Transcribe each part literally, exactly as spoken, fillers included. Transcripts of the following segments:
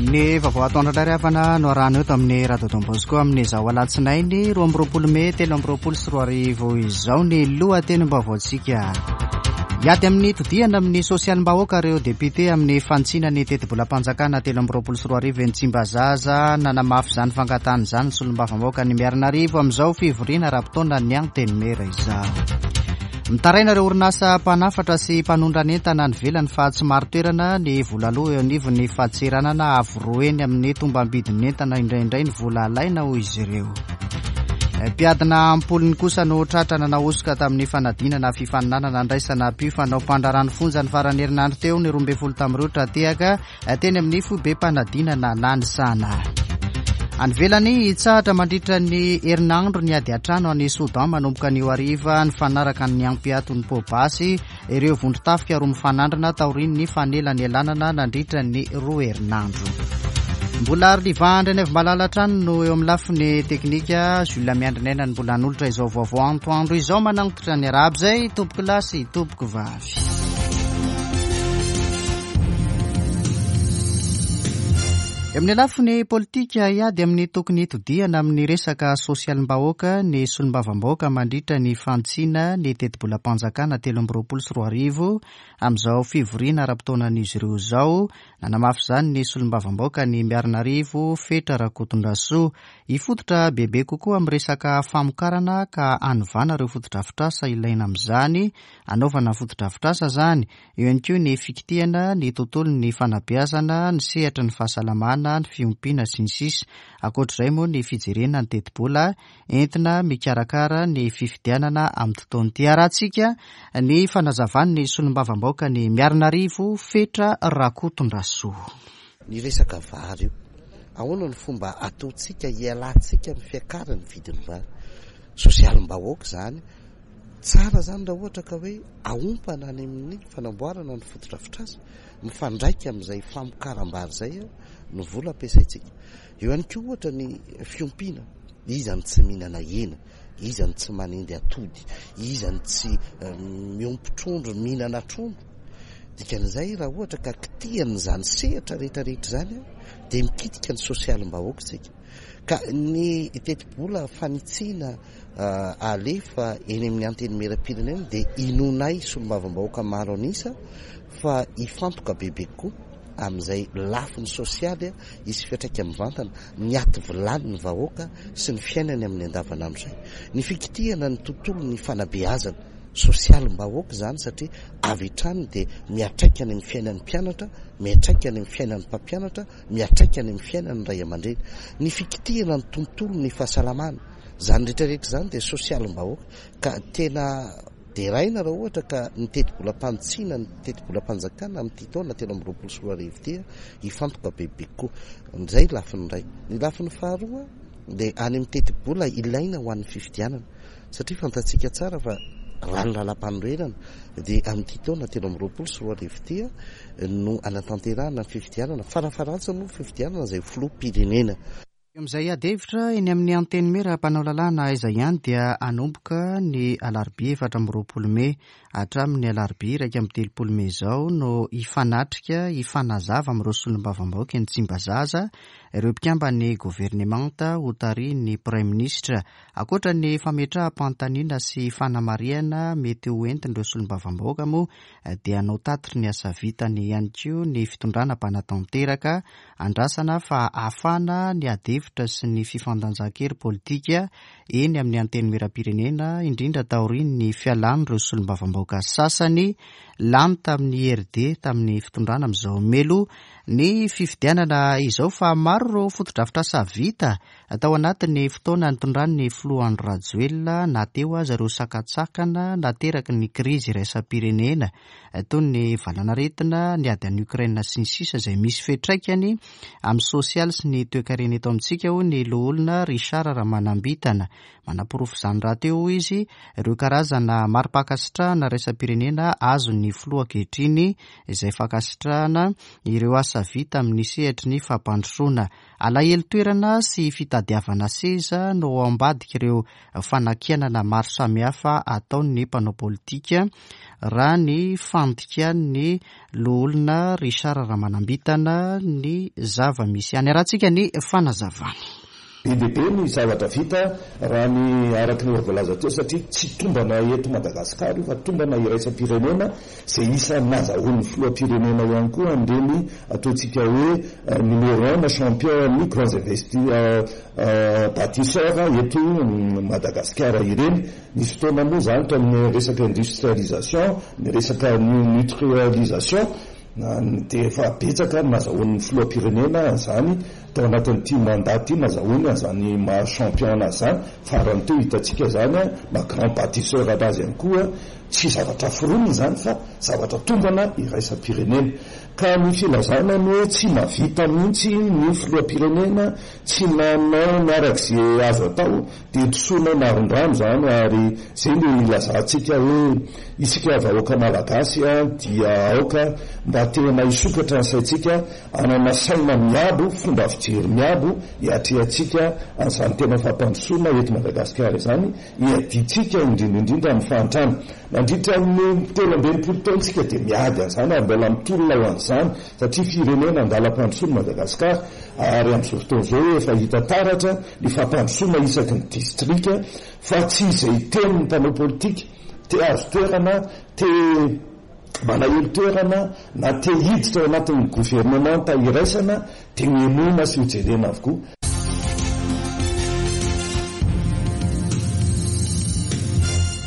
Ny vaovao atoandro indray ry havana no arahana eto amin'ny Radio Don Bosco amin'izao alatsinainy roa amby roapolo mey telo amby roapolo sy roa arivo izao ny lohatenim-baovaontsika. Hiady amin'ny todihana amin'ny sosialim-bahoaka ireo député amin'ny fanitsiana ny tetibolam-panjakana telo amby roapolo sy roa arivo eny Tsimbazaza. Nanamafy izany fangatahana izany ny solombavambahoaka ny Miarinarivo amin'izao fivoriana ara-potoana ny Antenimiera izao. Mitaraina ireo orinasa mpanafatra sy mpanondrana entana any ivelany fa tsy marin-toerana ny vola aloa eo anivon'ny fadintseranana avo roa heny amin'ny tombam-bidin'ny entana indraindray ny vola alaina, hoy izy ireo. Mpiadina am-polony kosa no tratra nanao hosoka tamin'ny fanadinana fifaninanana andraisana mpifanao mpandraharaha ny fonja ny faran'ny herinandro teo. Ny roa ambin'ny folo tamin'ireo tra-tehaka teny amin'ny foibem-panadinana Nanisana. Any ivelany, hitsahatra mandritra ny herinandro ny ady an-trano any Soudan manomboka anio hariva. Nifanaraka ny hampiato ny poa-basy ireo vondron-tafika roa mifanandrina taorian'ny fanelanelanana nandritra ny roa herinandro. Mbola Arliva Andrianaivomalala hatrany no eo amin'ny lafiny teknika. Jules Miandrinaina ny mbola hanolotra izao vaovao antoandro izao. Manantitra ny arahaba izay tompoko lahy sy tompoko vavy. Eo amin'ny lafiny politika, hiady amin'ny tokony hitodihana amin'ny resaka sosialim-bahoaka ny solombavambahoaka mandritra ny fanitsiana ny tetibolam-panjakana telo amby roapolo sy roa arivo amin'izao fivoriana ara-potoanan'izy ireo izao. Nanamafy izany ny solombavambahoaka ny Miarinarivo Fetra Rakotondrasoa. Hifototra bebe kokoa amin'ny resaka famokarana ka hanovana ireo fotodrafitrasa ilaina amin'izany, hanaovana fotodrafitrasa izany. Eo ihany koa ny fikitihana ny tontolon'ny fanabeazana, ny sehatry ny fahasalamana, ny fiompiana sy ny sisa. Ankoatr'izay moa ny fijerena ny tetibola entina mikarakara ny fifidianana amin'ny tontolo ity. Arahantsika ny fanazavan'ny solombavambahoaka ny Miarinarivo Fetra Rakotondrasoa. Ny resaka vary io, ahoana ny fomba ataontsika hialantsika amin'ny fiakaran'ny vidin'ny vary? Sosialim-bahoaka izany. Tsara izany raha ohatra ka hoe ahompana any amin'ny fanamboarana ny fotodrafitrasa mifandraika amin'izay famokaram-bary izay ny vola ampiasaintsika. Eo ihany koa ohatra ny fiompiana, iza no tsy mihinana hena, iza no tsy manendy atody, iza no tsy miompy trondro, mihinana trondro. Dikan'izay raha ohatra ka kitihan'izany sehatra rehetrarehetra izany dia mikitika ny sosialim-bahoaka isika. Ka ny tetibola fanitsiana alefa eny amin'ny antenimieram-pirenena dia inoanay solombavambahoaka maro an'isa fa hifantoka bebe kokoa amin'izay lafiny sosialy hisy fiantraika mivantana ny aty vilany ny vahoaka sy ny fiainany amin'ny andavanandro izay. Ny fikitihana ny tontolo ny fanabeazana sosialim-bahoaka izany satria avy hatrany dia miantraika any amin'ny fiainan'ny mpianatra, miantraika any amin'ny fiainan'ny mpampianatra, miantraika any amin'ny fiainan'ny ray aman-dreny. Ny fikitihana ny tontolo ny fahasalamana, izany rehetrarehetra izany dia sosialim-bahoaka ka tena deraina raha ohatra ka ny tetibolam-panitsiana ny tetibolam-panjakana amin'ity taona telo amby roapolo sy roa arivo ity hifantoka bebe kokoa. Izay lafiny iray. Ny lafiny faharoa dia any amin'ny tetibola ilaina ho an'ny fifidianana satria fantatsika tsara fa raha ny lalam-panorenana dia amin'ity taona telo amby roapolo sy roa arivo ity no hanatanterahana ny fifidianana, farafaharantsiny moa fifidianana izay filoham-pirenena. Eo amin'izay ady hevitra eny amin'ny Antenimiera mpanao lalàna aiza ihany dia hanomboka ny alarobia efatra amby roapolo mey hatramin'ny alarobia iraika amby telopolo mey izao no hifanatrika hifanazava amin'ireo solombavambahoaka eny Tsimbazaza ireo mpikamban'ny governemanta hotarihin'ny praiminisitra. Ankoatra ny fametraham-panontaniana sy fanamarihana mety ho entin'ireo solombavambahoaka moa dia hanao tatitry ny asa vitany ihany koa ny fitondrana mpanatanteraka. Andrasana fa hahafana ny ady hevitra sy ny fifandanjan-kery politika eny amin'ny antenimieram-pirenena, indrindra taorian'ny fialan'ireo solombavambahoaka sasany lany tamin'ny I R D tamin'ny fitondrana amin'izao melo ny fifidianana izao fa maro ireo fotodrafitrasa vita tao anatin'ny fotoana nitondran'ny filoha Andry Rajoelina na teo aza ireo sakantsakana nateraky ny krizy iraisam-pirenena toy ny valanaretina, ny ady any Ukraine sy ny sisa izay misy fiantraikany amin'ny sosialy sy ny toekarena eto amintsika. amintsika, hoy ny loholona Richard Ramanambitana. Manaporofo izany rahateo, hoy izy, ireo karazana mari-pankasitrahana iraisam-pirenena azon'ny filoha ankehitriny, izay fankasitrahana ireo asa vita amin'ny sehatry ny fampandrosoana. Alahelo toerana sy fitadiavana seza no ao ambadik'ireo fanakianana maro samihafa ataon'ny mpanao politika, raha ny fandikan'ny loholona Richard Ramanambitana ny zava-misy any. Arahantsika ny fanazavany. Be dia be ny zavatra vita raha ny araka ny voalaza teo, satria tsy tombana eto Madagasikara io fa tombana iraisam-pirenena, izay isan'ny nahazahoan'ny filoham-pirenena ihany koa an'ireny ataontsika hoe numéro un na champion ny grands investi bâtisseurs eto Madagasikara ireny. Nisy fotoana moa izany tao amin'ny resaka industrialisation, ny resaka nutrialisation, dia efa betsaka ny nahazahoan'ny filoham-pirenena izany tao anatin'ity mandat ity, nahazahoany an'izany maha champion anazy izany. Farany teo hitantsika izany maha grand bâtisseur anazy ihany koa, tsy zavatra foronina izany fa zavatra tombana iraisam-pirenena. Ka ny filazana ny hoe tsy mahavita mihitsy ny filoham-pirenena, tsy nanao ny arak'izay azo atao, dia disoana marin-drano izany. Ary izay no ilazantsika hoe isika vahoaka malagasy dia aoka mba tena hisokatra ny saintsika, hanana saina miabo, fomba fijery miabo, hiatrehantsika an'izany tena fampandrosoana eto Madagasikara izany, hiadintsika indrindra indrindra amin'ny fahantrana. Nandritra ny telo amby enimpolo taontsika dia miady an'izany ary mbola mitolona ho an'izany, satria firenena andalam-pandrosoana Madagasikara, ary amin'izao fotoana izao efa hita taratra ny fampandrosoana isaky ny distrika, fa tsy izay tenin'ny mpanao politika te azo toerana, te malahelo toerana na te hiditra ao anatin'ny governemanta iraisana dia hohenoina sy hojerena avokoa.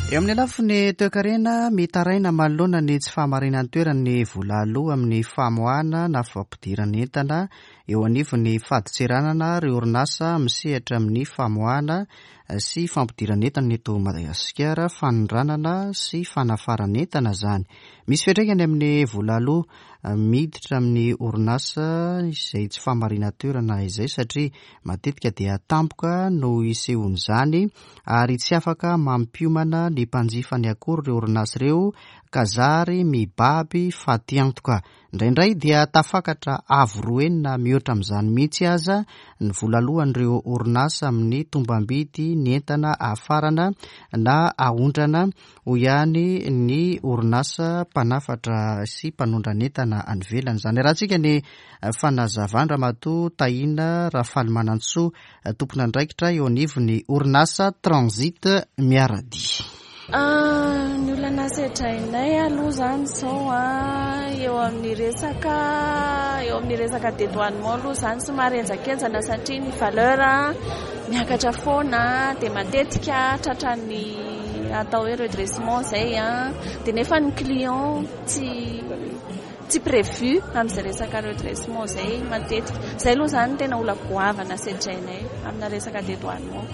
Eo amin'ny lafiny toekarena, mitaraina manoloana ny tsy fahamarinan'ny vola aloa amin'ny famoahana na fampidirana entana eo anivon'ny fadintseranana ireo orinasa misehatra amin'ny famoahana sy fampidirana entana eto Madagasikara, fanondranana sy fanafarana entana izany. Misy fiantraikany amin'ny vola aloa miditra amin'ny orinasa izay tsy fahamarinantoerana izay, satria matetika dia tampoka no isehoan'izany ary tsy afaka mampiomana ny mpanjifany akory ireo orinasa ireo ka zary mibaby fatiantoka. Indraindray dia tafakatra avo roa enina mihoatra amin'izany mihitsy aza ny vola aloan'ireo orinasa amin'ny tombam-bidy ny entana afarana na aondrana, hoy ihany ny orinasa mpanafatra sy mpanondrana entana any ivelany. Izany arahantsika ny fanazavana Ramatoa Tahina Rafalimanantsoa, tompon'andraikitra eo anivon'ny orinasa Transit Miaradia. Ny olana sedrainay aloha izany izao eo amin'ny resaka eo amin'ny resaka dédouanement aloha izany somary henjakenjana, satria ny valeur miakatra foana dia matetika tratran'ny atao hoe redressement izay, dia nefa ny client tsy tsy prévu amin'izay resaka redressement izay matetika. Izay aloha izany tena olana goavana sedrainay amina resaka dédouanement.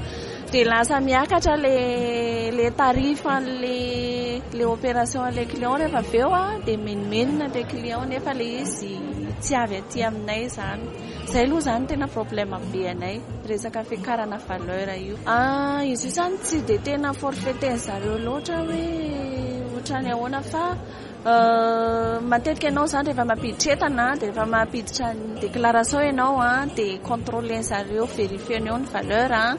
Dia lasa miakatra le le tarif an'le le opération an'le client rehefa avy eo, dia menomenona le client nefa le izy tsy avy aty aminay izany. Izay aloha izany tena problème be anay, resaka fiakarana valeur io. Izy io izany tsy dia tena forfaitainy zareo loatra hoe ohatrany ahoana, fa matetika ianao izany rehefa mampiditra entana dia rehefa mampiditra ny déclaration ianao dia contrôler zareo, vérifier-ny eo ny valeur,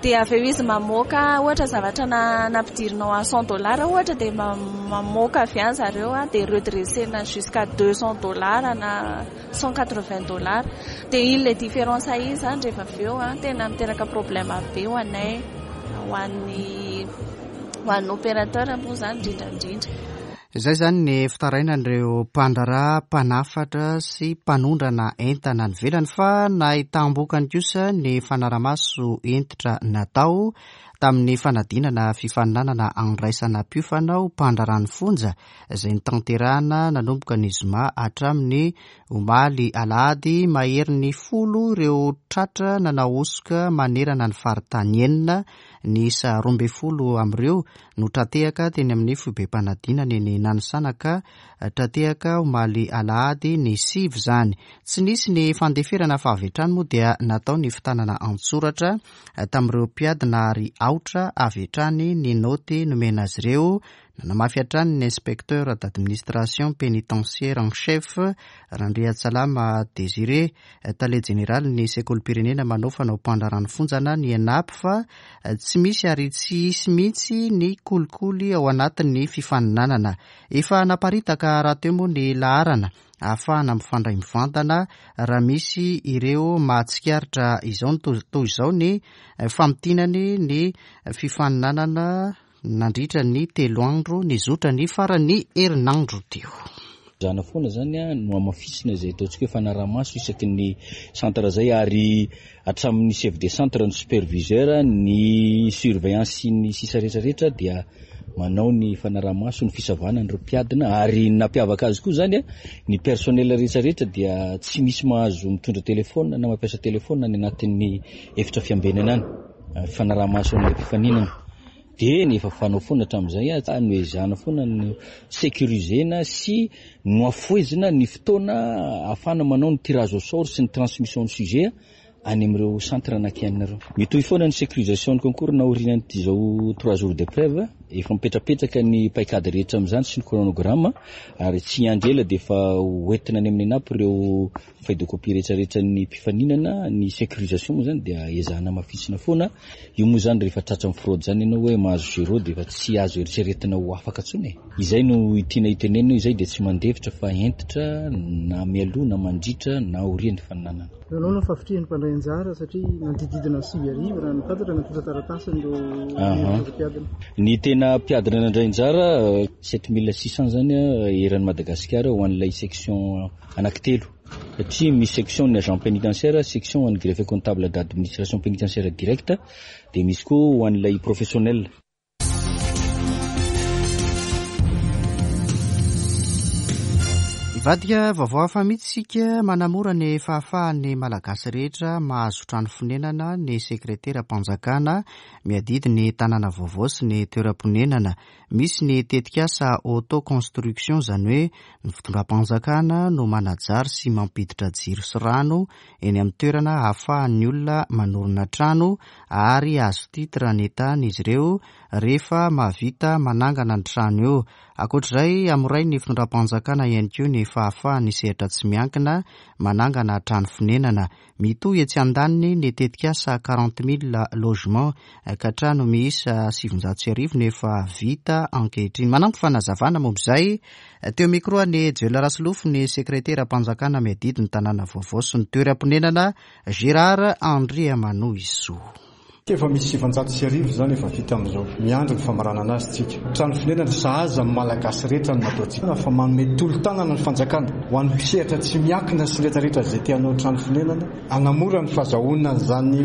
dia avy eo izy mamoaka ohatra zavatra nampidirinao à cent dollars ohatra, dia mamoaka avy any zareo dia redresser-na jusqu'à deux cents dollars na cent quatre-vingts dollars. Dia iny le différence iny izany rehefa avy eo tena miteraka problème be ho anay, ho an'ny ho an'ny opérateur moa izany indrindra indrindra. Izay izany ny fitarainan'ireo mpandraharaha, mpanafatra sy mpanondrana entana any ivelany, fa nahitam-bokany kosa ny fanaramaso hentitra natao tamin'ny fanadinana fifaninanana andraisana mpiofana ho mpandraharaha ny fonja, izay notanterahana nanomboka ny zoma hatramin'ny omaly alahady. Maherin'ny folo ireo tratra nanao hosoka manerana ny faritany enina, ny isa roa ambin'ny folo amin'ireo no tratehaka teny amin'ny foibem-panadinana eny Nanisana ka tra-tehaka omaly alahady ny sivy izany. Tsy nisy ny fandeferana fa avy hatrany moa dia natao ny fitanana an-tsoratra tamin'ireo mpiadina ary aotra avy hatrany ny noty nomena azy ireo. Nanamafy hatrany ny inspecteur d'administration pénitentiaire en chef Randriatsalama Désiré, tale jeneraly ny sekolim-pirenena manao fanao mpandraharahan'ny fonjana ny ENAP, fa tsy misy ary tsy hisy mihitsy ny kolikoly ao anatin'ny fifaninanana. Efa naparitaka rahateo moa ny laharana ahafahana mifandray mivantana raha misy ireo mahatsikaritra izao toy izao ny famintinany ny fifaninanana nandritra ny telo andro nizotra ny faran'ny herinandro teo. Zana foana zany a no hamafisina izay ataontsika hoe fanaraha-maso isaky ny centre zay, ary hatramin'ny chef de centre, ny superviseur, ny surveillance sy ny sisa rehetrarehetra dia manao ny fanaraha-maso ny fisavana an'ireo mpiadina. Ary nampiavaka azy koa zany a, ny personnel rehetrarehetra dia tsy misy mahazo mitondra telefona na mampiasa telefona any anatin'ny efitra fiambenana any, fanaraha-maso an'ilay mpifaninana. Dia ny efa fanao foana hatramin'izay a, noezahana foana no sécurisena sy nohafohezina ny fotoana ahafahana manao ny tirage au sort sy ny transmission ny sujet any amin'ireo centre anankianina ireo. Mitohy foana ny sécurisation ny concours na aorian'ity izao trois jours d'épreuve, efa mipetrapetraka ny paikady rehetra amin'izany sy ny chronogramme, ary tsy hiandry ela dia efa hoentina any amin'ny ENAP ireo feuille de copie rehetrarehetra ny mpifaninana. Ny sécurisation moa zany dia ezahana hamafisina foana. Io moa zany rehefa tratra amin'ny fraude zany ianao hoe mahazo zéro dia efa tsy azo eritreretina ho afaka intsony e. Izay no tiana hitenenina, izay dia tsy mandefitra fa hentitra na mialoha na mandritra na aorian'ny fifaninanana. Nanao ny fahavitrihan'ny mpandray anjara satria nanodididina sivy arivo raha ny fantatra natolotra taratasy ireo mpiadina. Ny tena mpiadina nandray anjara sept mille six cents zany eran'i Madagasikara ho an'ilay section anankitelo, satria misy section ny agent pénitentiaire, section ho an'ny greffier comptable d'administration pénitentiaire directe, dia misy koa ho an'ilay professionnel. Hivadika vaovao hafa mihitsy isika. Manamora ny fahafahan'ny Malagasy rehetra mahazo trano fonenana ny sekreteram-panjakana miadidy ny tanàna vaovao sy ny toeram-ponenana. Misy ny tetikasa auto-construction, izany hoe ny fitondram-panjakana no manajary sy mampiditra jiro sy rano eny amin'ny toerana ahafahan'ny olona manorina trano, ary azo titre ny tany izy ireo rehefa mahavita manangana ny trano eo. Ankoatr'izay, hamorain'ny fitondram-panjakana ihany koa ny fahafahan'ny sehatra tsy miankina manangana trano fonenana. Mitohy etsy andaniny ny tetikasa quarante mille logements, ka trano miisa sivinjato sy arivo no efa vita ankehitriny. Manampy fanazavana momba izay teo micro ny Joel Rasolofo ny sekreteram-panjakana miadidy ny tanàna vaovao sy ny toeram-ponenana Gérard Andriamanohisoa. Efa misy sivinjato sy arivo zany efa vita amin'izao, miandry ny famaranana azy tsika. Trano fonenana sahaza amin'ny Malagasy rehetra no nataontsika, fa manome tolo-tanana ny fanjakana ho an'ny mpisehatra tsy miankina sy rehetrarehetra izay te hanao trano fonenana, hanamora ny fahazahoana an'izany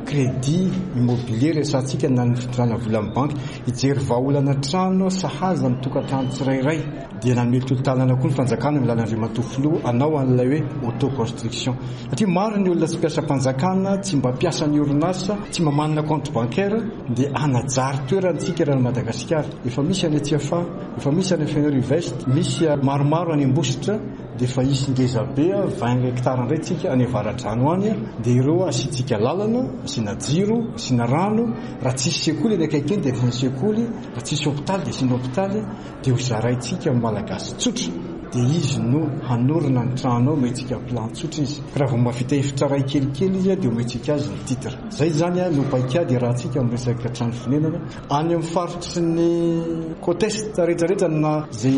crédit immobilier resahantsika na ny fitondrana vola amin'ny banky, hijery vahaolana trano sahaza ny tokantrano tsirairay. Dia nanome tolo-tanana koa ny fanjakana amin'ny alalan'ny Andriamatoa Filoha hanao an'ilay hoe auto-construction, satria maro ny olona tsy mpiasam-panjakana, tsy mba mpiasa ny orinasa, tsy mba manana compte bancaire, dia hanajary toerantsika raha Madagasikara. Efa misy any Tsiafahy, efa misy any Fenerive-Est, misy maromaro any Ambositra, dia efa hisy ngeza be vingt hectares indray tsika any Avaradrano any, dia ireo asiantsika lalana, asiana jiro, asiana rano. Raha tsisy sekoly any akaiky eny dia asiana sekoly, raha tsisy hopitaly dia asiana hopitaly, dia ho zaraintsika amin'ny Malagasy tsotra, dia izy no hanorina ny trano ao, omentsika plan tsotra izy. Raha vao mahavita efitra iray kelikely izy dia omentsika azy ny titre. Izay zany no paikady iarahantsika amin'ny resaka trano fonenana any amin'ny faritry ny côte est rehetrarehetra na izay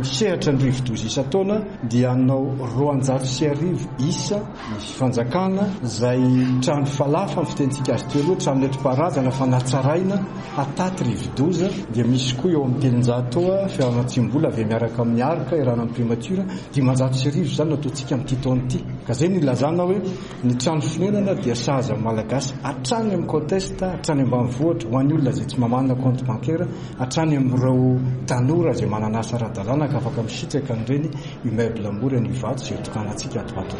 misehatra ny rivodoza isan-taona, dia hanao roanjato sy arivo isa ny fanjakana izay trano falafa ny fitentsika azy teo aloha, trano nentim-paharazana fa natsaraina hataty rivodoza. Dia misy koa eo amin'ny telonjato fiaranatsimbola avy miaraka amin'ny arka irana amin'ny primature, dimanjato sy arivo zany nataontsika amin'ity taona ity. Ka zay no ilazana hoe ny trano fonenana dia sahaza amin'ny Malagasy hatrany amin'ny côte est, hatrany ambanivohitra ho an'ny olona izay tsy mamanana compte bancaire, hatrany amin'ireo tanora izay manana asa ara-dalàna ka afaka misitraka an'ireny immeuble mora ny Ivato izay tokanantsika ato ato.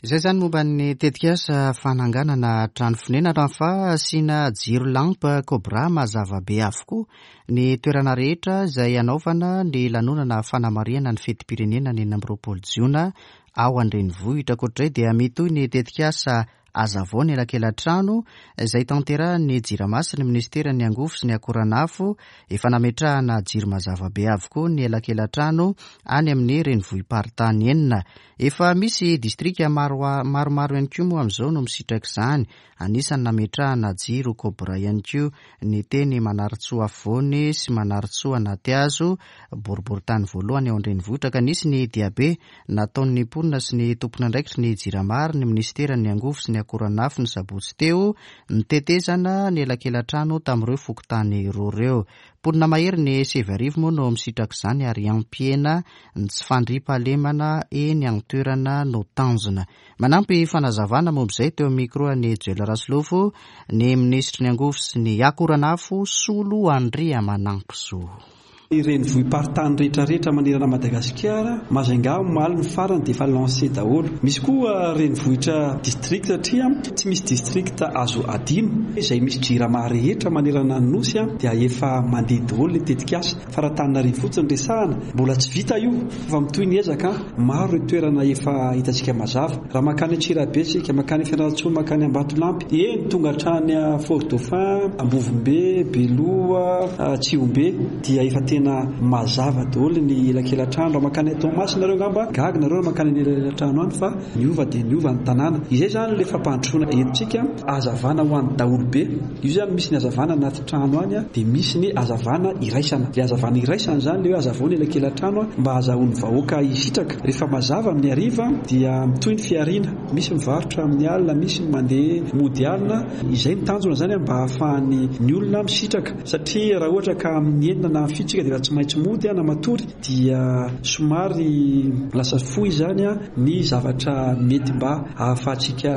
Izay zany momba ny tetikasa fananganana trano fonenana, fa asiana jiro lampe Cobra mazava be avokoa ny toerana rehetra izay anaovana ny lanonana fanamarihana ny fetim-pirenena ny enina amby roapolo jiona ao an-drenivohitra. Ankoatr'izay dia mitohy ny tetikasa Azavao ny elakela-trano izay tanterahan'ny Jirama sy ny ministeran'ny angovo sy ny akoranafo. Efa nametrahana jiro mazava be avokoa ny elakela-trano any amin'ny renivohi-paritany enina. Efa misy distrika maro maromaro ihany koa moa amin'izao no misitraka izany. Anisan'ny nametrahana jiro Cobra ihany koa ny teny Manarintsoa afovoany sy Manarintsoa anaty hazo, boriborintany voalohany ao an-drenivohitra, ka nisy ny diabe nataon'ny mponina sy ny tompon'andraikitry ny Jirama ary ny ministeran'ny angovo sy ny akoranafo ny sabotsy teo, nitetezana ny elakela-trano tamin'ireo fokontany roa ireo. Mponina mahery ny sivy arivo moa no misitraka izany ary hampihena ny tsy fandriampahalemana eny an-toerana no tanjona. Manampy fanazavana momba izay teo amin'ny micro an'i Joel Rasolofo ny minisitry ny angovo sy ny akoranafo, Solo Andriamanampisoa. Ny renivohi-paritany rehetrarehetra manerana Madagasikara, Majunga omaly ny farany dia efa lancé daholo. Misy koa renivohitra district satria tsy misy district azo adino. Izay misy Jirama rehetra manerana ny nosy dia efa mandeha daholo ny tetikasa. Fa raha Antananarivo fotsiny resahana, mbola tsy vita io fa mitohy ny ezaka. Maro ny toerana efa hitantsika mazava. Raha mankany Antsirabe isika, mankany Fianarantsoa, mankany Ambatolampy, eny tonga hatrany Fort Dauphin, Ambovombe, Beloha, Tsihombe dia efa tena mazava daholo ny elakela-trano. Raha mankany Toamasina nareo angamba gaga nareo raha mankany elakela-trano any fa niova dia niova ny tanàna. Izay zany le fampandrosoana entintsika, hazavana ho an'ny daholobe. Io zany misy ny hazavana anaty trano any, dia misy ny hazavana iraisana. Le hazavana iraisana zany le hoe hazavao ny elakela-trano mba hahazoan'ny vahoaka hisitraka. Rehefa mazava amin'ny hariva dia mitohy ny fihariana, misy mivarotra amin'ny alina, misy mandeha mody alina. Izay ny tanjona zany mba hahafahan'ny ny olona misitraka, satria raha ohatra ka amin'ny enina na amin'ny fito isika dia tsy maintsy mody na matory, dia somary lasa fohy zany ny zavatra mety mba ahafahantsika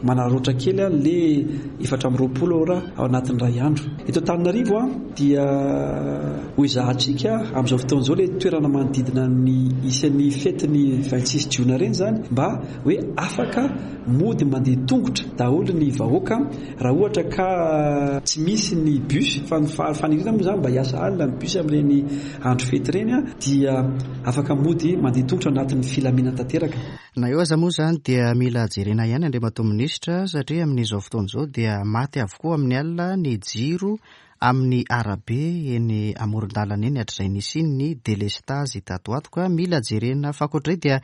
manararaotra kely le efatra amby roapolo ora ao anatin'ny iray andro. Eto Antananarivo dia ho ezahantsika amin'izao fotoana izao le toerana manodidina ny isan'ny fetin'ny vingt-six jiona ireny zany mba hoe afaka mody mandeha tongotra daholo ny vahoaka. Raha ohatra ka tsy misy ny bus, fa ny faniriana moa zany mba hiasa alina ny bus amin'ireny andro fety ireny, dia afaka mody mandeha tongotra anatin'ny filaminana tanteraka. Na eo aza moa zany dia mila jerena ihany Andriamatoa Minisitra, satria amin'izao fotoana izao dia maty avokoa amin'ny alina ny jiro amin'ny arabe eny amoron-dalana eny hatrizay nisiany ny délestage tato ato, ka mila jerena. Fa ankoatr'izay dia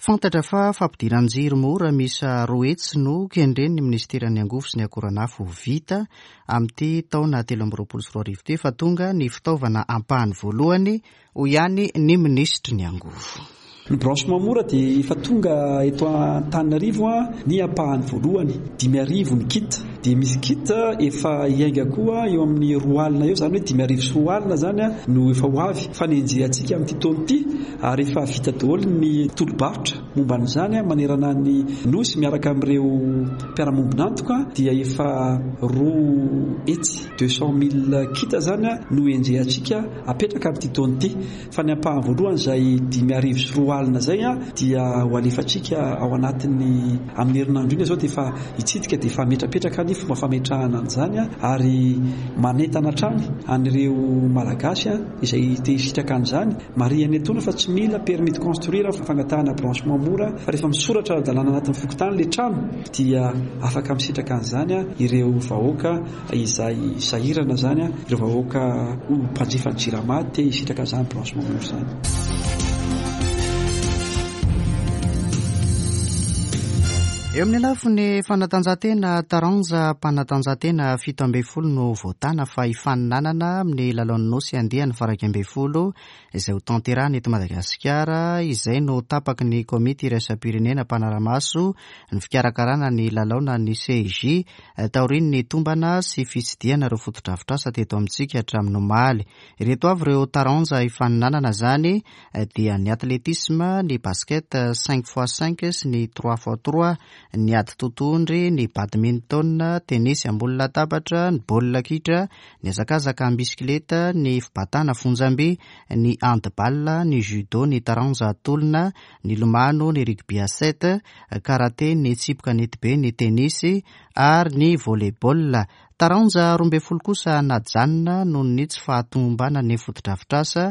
fantatra fa fampidiran-jiro mora miisa roa hetsy no kendren'ny ministeran'ny angovo sy ny akoranafo vita amin'ity taona telo amby roapolo sy roa arivo ity. Efa tonga ny fitaovana ampahany voalohany, hoy ihany ny minisitry ny angovo. Ny branchement mora dia efa tonga eto Antananarivo ny ampahany voalohany, dimy arivo ny kit. Dia misy kit efa hiainga koa eo amin'ny roa alina eo, zany hoe dimy arivo sy roa alina zany no efa ho avy. Fanenjehantsika amin'ity taona ity ary efa vita daholo ny tolo-barotra momba an'izany manerana ny nosy miaraka amin'ireo mpiara-mombon'antoka, dia efa roa hetsy deux cent mille kit zany no enjehantsika apetraka amin'ity taona ity. Fa ny ampahany voalohany izay dimy arivo sy roa alina zay dia ho alefantsika ao anatin'ny amin'ny herinandro iny izao, dia efa hitsidika dia efa ametrapetraka ny fomba fametrahana an'izany, ary manentana hatrany an'ireo Malagasy izay te hisitraka an'izany. Marihana etoana fa tsy mila permis de construire fangatahana branchement mora, fa rehefa misoratra ara-dalàna anatin'ny fokontany le trano dia afaka misitraka an'izany ireo vahoaka izay sahirana zany, ireo vahoaka ho mpanjifa ny Jirama te hisitraka an'izany branchement mora izany. Eo amin'ny lafiny fanatanjahantena, taranja mpanatanjahantena fito ambin'ny folo no voatana fa hifaninanana amin'ny lalaon'ny nosy andiany faha-iraika ambin'ny folo izay ho tanterahana eto Madagasikara, izay no tapaky ny komity iraisam-pirenena mpanara-maso ny fikarakarana ny lalaona ny C I J taorian'ny tombana sy fitsidihana ireo fotodrafitrasa teto amintsika hatramin'ny omaly. Ireto avy ireo taranja hifaninanana izany dia ny atletisme, ny basket cinq fois cinq sy ny trois fois trois, ny ady totohondry, ny badminton, tenisy ambony latabatra, ny baolina kitra, ny hazakazaka am-bisikileta, ny fibatana fonjamby, ny handball, ny judo, ny taranja tolona, ny lomano, ny rugby à sept, karate, ny tsipy kanetibe, ny tenisy ary ny volley-ball. Taranja roa ambin'ny folo kosa najanona noho ny tsy fahatomombanan'ny fotodrafitrasa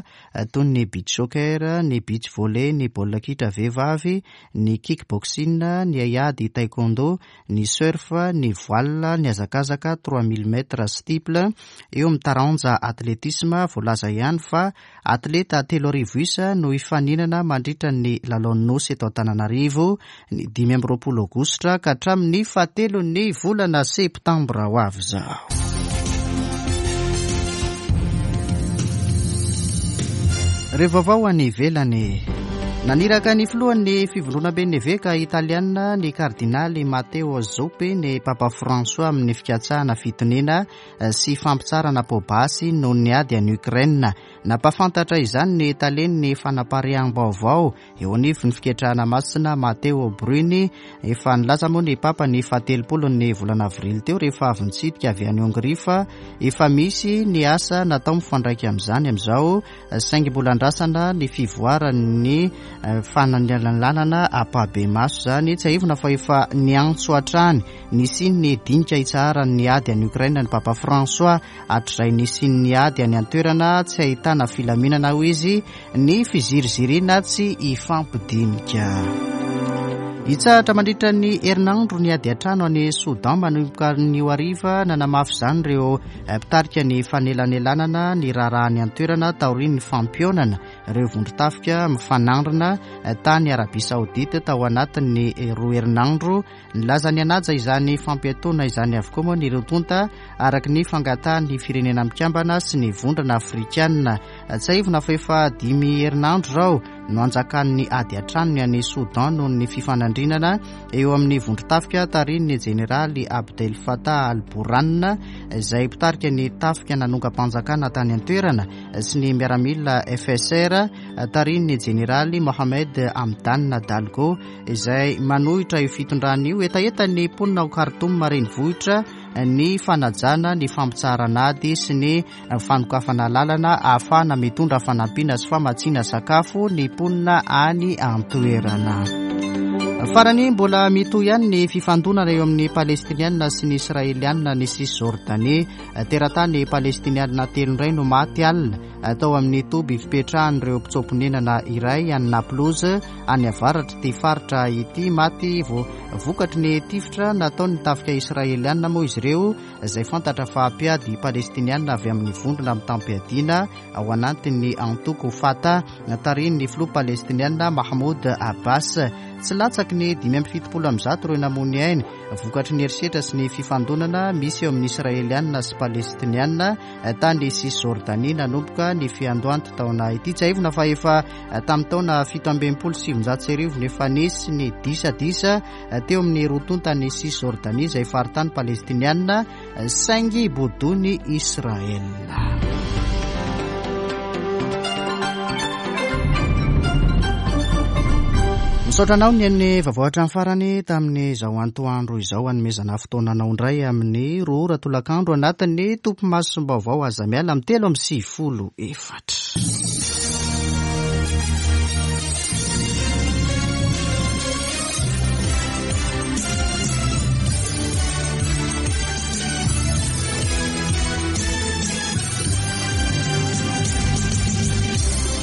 toy ny beach soccer, ny beach volley, ny baolina kitra vehivavy, ny kickboxing, ny haiady taekwondo, ny surf, ny voile, ny hazakazaka trois mille mètres steeple. Eo amin'ny taranja atletisme, voalaza ihany fa atleta telo arivo isa no hifaninana mandritra ny lalaon'ny nosy eto Antananarivo ny dimy amby roapolo aogositra ka hatramin'ny fahatelon'ny volana septambra ho avy izao. Ireo vaovao any ivelany. Naniraka ny filohan'ny fivondronamben'ny eveka italiana ny kardinaly Matteo Zuppi ny Papa François amin'ny fikatsahana fitoniana sy fampitsarana poabasy noho ny ady any Ukraine. Nampahafantatra izany ny talen'ny fanapariaham-baovao eo anivon'ny fiketrahana masina Matteo Bruni. Efa nilaza moa ny Papa ny fahatelopolo ny volana avrily teo rehefa avy nitsidika avy any Hongria fa efa misy ny asa natao mifandraika amin'izany amin'izao, saingy mbola andrasana ny fivoaran'ny fananlanana ampahibemaso izany. Tsiahivina fa efa niantso hatrany nisian'ny dinika hitsaharan'ny ady any Ukraine ny Papa François hatrizay nisian'ny ady any an-toerana tsy ahitana filaminana hoy izy ny fiziriziriana tsy hifampidinika. Hitsahatra mandritra ny herinandro ny ady an-trano any Soudan manomboka anio hariva. Nanamafy izany ireo mpitarika ny fanelanelanana ny raharaha any an-toerana taorian'ny fampionana ireo vondron-tafika mifanandrina tany Arabia Saodita tao anatin'ny roa herinandro. Nilaza ny hanaja izany fampiatoana izany avokoa moa ny roa tonta araka ny fangatahan'ny firenena mikambana sy ny vondrona afrikana. Tsiahivina fa efa dimy herinandro izao no anjakan'ny ady an-trano any Soudan noho ny fifanandrinana eo amin'ny vondron-tafika tarihin'ny jeneraly Abdel Fattah al-Burhan izay mpitarika ny tafika nanongam-panjakana tany an-toerana sy ny miaramila F S R tarihin'ny jeneraly Mohamed Hamdan Dagalo izay manohitra io fitondrana io. Hetahetan'ny mponina ao Khartoum renivohitra ny fanajana ny fampitsaharana ady sy ny fanokafana lalana ahafahana mitondra fanampiana sy famatsiana sakafo ny mponina any an-toerana. Farany, mbola mitohy ihany ny fifandonana eo amin'ny Palestiniana sy ny Israeliana ny Cisjordanie. Teratany Palestiniana telo indray no maty alina tao amin'ny toby fipetrahan'ireo mpitsoa-ponenana iray any Naplouse any avaratr'ity faritra ity. Maty vokatry ny tifitra nataon'ny tafika Israeliana moa izy ireo izay fantatra fa mpiady Palestiniana avy amin'ny vondrona mitam-piadiana ao anatin'ny antoko Fatah tarihin'ny filoha Palestiniana Mahmoud Abbas. Tsy latsaky ny dimy amby fitopolo amby zato ireo namoy aina vokatry ny herisetra sy ny fifandonana misy eo amin'ny Israeliana sy Palestiniana tany Cisjordanie nanomboka ny fiandohan'ity taona ity. Tsiahivina fa efa tamin'ny taona fito amby enimpolo sy sivinjato sy arivo no efa nisy ny disadisa teo amin'ny roa tontan'ny Cisjordanie izay faritany Palestiniana saingy bodoin'i Israel. Misaotra anao ny an'ny vaovao hatramin'ny farany tamin'izao antoandro izao. Hanomezana fotoana anao indray amin'ny roa ora tolakandro anatin'ny topimasom-baovao aza miala amin'ny telo amby sivifolo efatra.